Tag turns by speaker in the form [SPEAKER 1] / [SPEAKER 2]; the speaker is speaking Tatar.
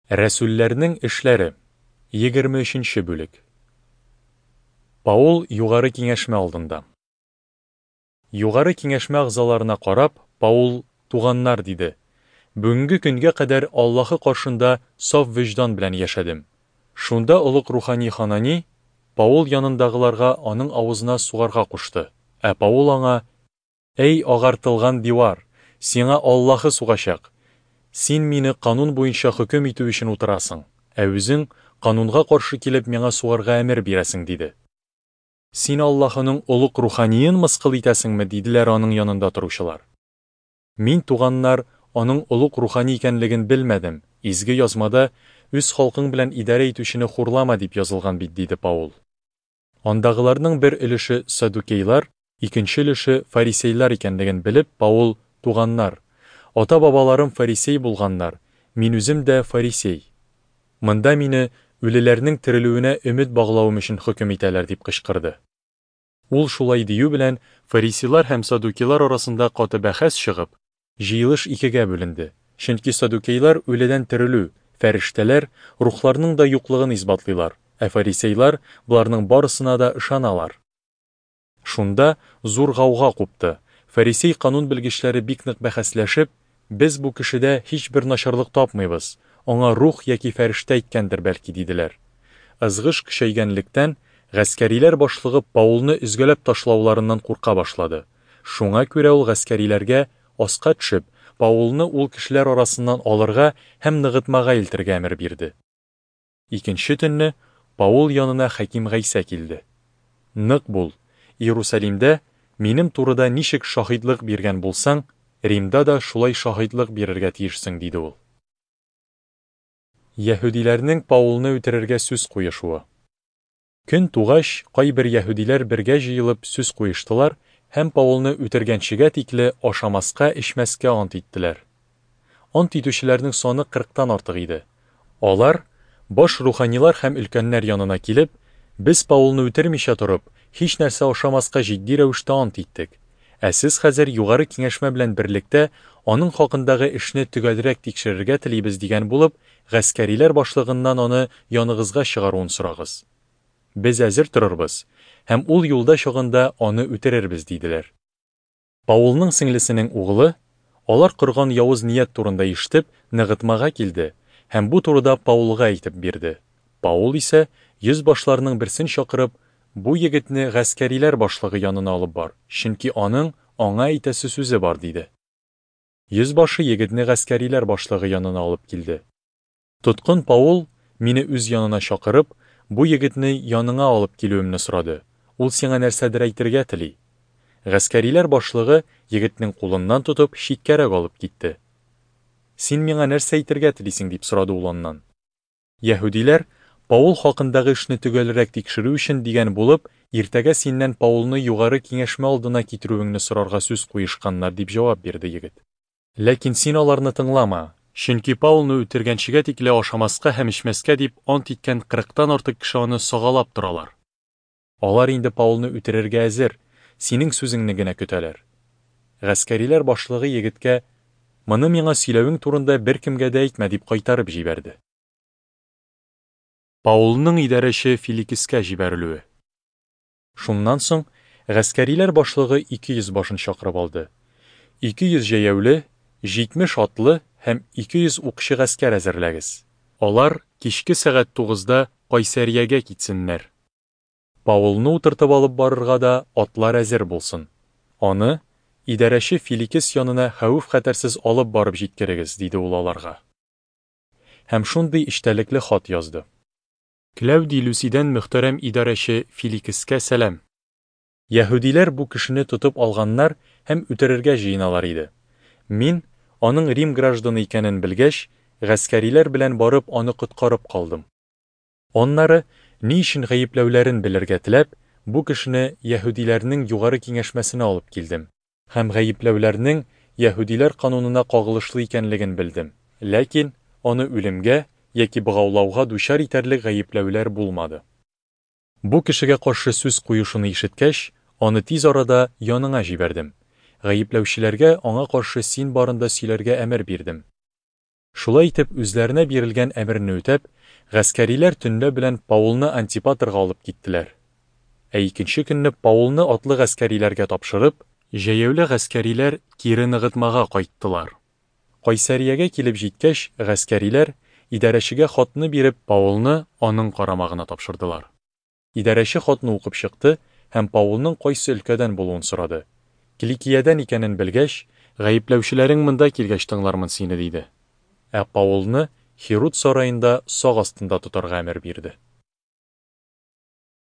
[SPEAKER 1] Рәсүлләрнең эшләре, 23 нче бүлек. Паул югары киңәшмә алдында. Югары киңәшмә әгъзаларына карап, Паул, Туганнар, диде, бүгенге көнгә кадәр Аллаһы каршында саф вөҗдан белән яшәдем. Шунда олуг рухани Ханани Паул янындагыларга аның авызына сугарга кушты, ә Паул аңа, Әй, агартылган дивар, сиңа Аллаһы сугачак! Син мине канун буенча хөкем итү өчен утырасың, ә үзең, канунга каршы килеп, миңа сугарга әмер бирәсең, диде. Син Аллаһының олуг руханиен мыскыл итәсеңме? диделәр аның янында торучылар. Мин, туганнар, аның олуг рухани икәнлеген белмәдем, Изге Язмада, Үз халкың белән идарә итүчене хурлама, дип язылган бит, диде Паул. Андагыларның бер өлеше саддукейлар, икенче өлеше фарисейлар икәнлеген белеп, Паул, Туганнар, ата-бабаларым фарисей булганнар, мин үзем дә фарисей. Монда мине үлеләрнең терелүенә өмет баглавым өчен хөкем итәләр, дип кычкырды. Ул шулай дию белән, фарисейлар һәм саддукейлар арасында каты бәхәс чыгып, Җыелыш икегә бүленде, чөнки саддукейлар үледән терелү, фәрештәләр, рухларның да юклыгын исбатлыйлар, ә фарисейлар боларның барысына да ышаналар. Шунда зур гауга купты. Фарисей канун белгечләре бик нык бәхәсләшеп, Без бу кешедә һичбер начарлык тапмыйбыз, аңа рух яки фәрештә әйткәндер, бәлки, диделәр. Ызгыш көчәйгәнлектән, гаскәриләр башлыгы Паулны өзгәләп ташлауларыннан курка башлады. Шуңа күрә ул гаскәриләргә, аска төшеп, Паулны ул кешеләр арасыннан алырга һәм ныгытмага илтергә әмер бирде. Икенче төнне Паул янына Хәким Гайсә килде. Нык бул, Иерусалимдә минем турыда ничек шаһитлык биргән булсаң, Римда да шулай шаһитлык бирергә тиешсең, диде ул. Яһүдиләрнең Паулны үтерергә сүз куешуы. Көн тугач, кайбер яһүдиләр бергә җыелып сүз куештылар һәм Паулны үтергәнчегә тикле ашамаска-эчмәскә ант иттеләр. Ант итүчеләрнең саны кырыктан артык иде. Алар, баш руханилар һәм өлкәннәр янына килеп, Без Паулны үтермичә торып, һичнәрсә ашамаска җитди рәвештә ант иттек. Ә сез хәзер югары киңәшмә белән берлектә аның хакындагы эшне төгәлрәк тикшерергә телибез дигән булып, гаскәриләр башлыгыннан аны яныгызга чыгаруын сорагыз. Без әзер торырбыз һәм ул юлда чагында аны үтерербез, диделәр. Паулның сеңлесенең угылы, алар корган явыз ният турында ишетеп, ныгытмага килде һәм бу турыда Паулга әйтеп бирде. Паул исә, йөзбашларның берсен чакырып, Бу егетне гаскәриләр башлыгы янына алып бар, чөнки аның аңа әйтәсе сүзе бар, диде. Йөзбашы егетне гаскәриләр башлыгы янына алып килде. Тоткын Паул, мине үз янына чакырып, бу егетне яныңа алып килүемне сорады, ул сиңа нәрсәдер әйтергә тели. Гаскәриләр башлыгы, егетнең кулыннан тотып, читкәрәк алып китте. Син миңа нәрсә әйтергә телисең? дип сорады ул аннан. Яһүдиләр, Паул хакындагы эшне төгәлрәк тикшерү өчен дигән булып, иртәгә синнән Паулны югары киңәшмә алдына китерүеңне сорарга сүз куешканнар, дип җавап бирде егет. Ләкин син аларны тыңлама, чөнки Паулны үтергәнчегә тикле ашамаска һәм эчмәскә дип ант иткән кырыктан артык кеше аны сагалап торалар. Алар инде Паулны үтерергә әзер, синең сүзеңне генә көтәләр. Гаскәриләр башлыгы егеткә, Моны миңа сөйләвең турында беркемгә дә әйтмә, дип кайтарып җибәрде. Паулның идарәче Филикескә җибәрелүе. Шуннан соң гаскәриләр башлыгы 200 башын чакырып алды. 200 җәяүле, 70 атлы һәм 200 укчы гаскәр әзерләгез. Алар кичке сәгать тугызда Кайсәриягә китсеннәр. Паулны утыртып алып барырга да атлар әзер булсын. Аны идарәче Филикес янына хәвеф-хәтәрсез алып барып җиткерегез, диде ул аларга. Һәм шундый эчтәлекле хат язды. Кләүдий Люсидән мөхтәрәм идарәче Филикескә сәлам! Яһүдиләр бу кешене тотып алганнар һәм үтерергә җыеналар иде. Мин, аның Рим гражданы икәнен белгәч, гаскәриләр белән барып аны коткарып калдым. Аннары, ни өчен гаепләүләрен белергә теләп, бу кешене яһүдиләрнең югары киңәшмәсенә алып килдем һәм гаепләүләрнең яһүдиләр канунына кагылышлы икәнлеген белдем, ләкин аны үлемгә яки богаулауга дучар итәрлек гаепләүләр булмады. Бу кешегә каршы сүз куешуны ишеткәч, аны тиз арада яныңа җибәрдем. Гаепләүчеләргә аңа каршы син барында сөйләргә әмер бирдем. Шулай итеп, үзләренә бирелгән әмерне үтәп, гаскәриләр төнлә белән Паулны Антипатрга алып киттеләр. Ә икенче көнне Паулны атлы гаскәриләргә тапшырып, җәяүле гаскәриләр кире ныгытмага кайттылар. Кайсариягә килеп җиткәч, гаскәриләр, идарәчегә хатны биреп, Паулны аның карамагына тапшырдылар. Идарәче хатны укып чыкты һәм Паулның кайсы өлкәдән булуын сорады. Киликиядән икәнен белгәч, Гаепләүчеләрең монда килгәч тыңлармын сине, диде. Ә Паулны Һируд сараенда сак астында тотарга әмер бирде.